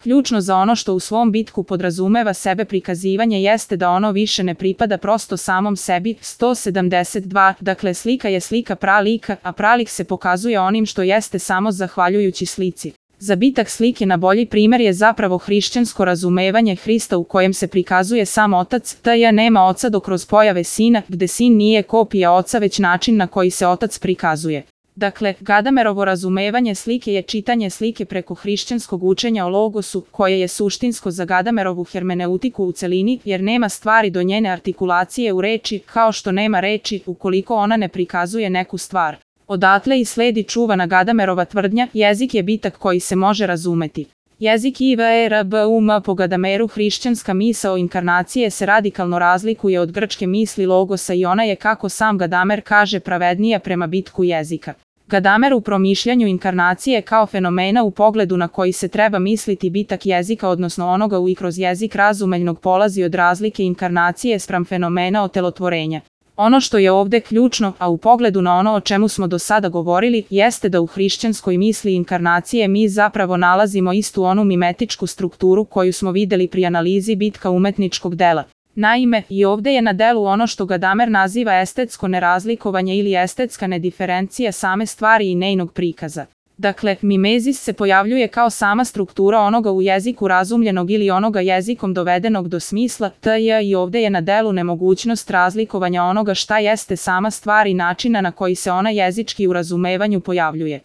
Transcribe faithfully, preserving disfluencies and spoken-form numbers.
Ključno za ono što u svom bitku podrazumeva sebe prikazivanje jeste da ono više ne pripada prosto samom sebi. sto sedamdeset dva. Dakle, slika je slika pralika, a pralik se pokazuje onim što jeste samo zahvaljujući slici. Zabitak slike na bolji primjer je zapravo hrišćansko razumevanje Hrista u kojem se prikazuje sam otac, tj. nema oca do kroz pojave sina, gde sin nije kopija oca već način na koji se otac prikazuje. Dakle, Gadamerovo razumevanje slike je čitanje slike preko hrišćanskog učenja o logosu, koje je suštinsko za Gadamerovu hermeneutiku u celini, jer nema stvari do njene artikulacije u reči, kao što nema reči ukoliko ona ne prikazuje neku stvar. Odatle i sledi čuvana Gadamerova tvrdnja, jezik je bitak koji se može razumeti. Jezik I V E R B U M po Gadameru hrišćanska misao inkarnacije se radikalno razlikuje od grčke misli logosa i ona je, kako sam Gadamer kaže, pravednija prema bitku jezika. Gadamer u promišljanju inkarnacije kao fenomena u pogledu na koji se treba misliti bitak jezika odnosno onoga u i kroz jezik razumeljnog polazi od razlike inkarnacije spram fenomena otelotvorenja. Ono što je ovde ključno, a u pogledu na ono o čemu smo do sada govorili, jeste da u hrišćanskoj misli inkarnacije mi zapravo nalazimo istu onu mimetičku strukturu koju smo videli pri analizi bitka umetničkog dela. Naime, i ovde je na delu ono što Gadamer naziva estetsko nerazlikovanje ili estetska nediferencija same stvari i njenog prikaza. Dakle, mimezis se pojavljuje kao sama struktura onoga u jeziku razumljenog ili onoga jezikom dovedenog do smisla, tj. i ovde je na delu nemogućnost razlikovanja onoga šta jeste sama stvar i načina na koji se ona jezički u razumevanju pojavljuje.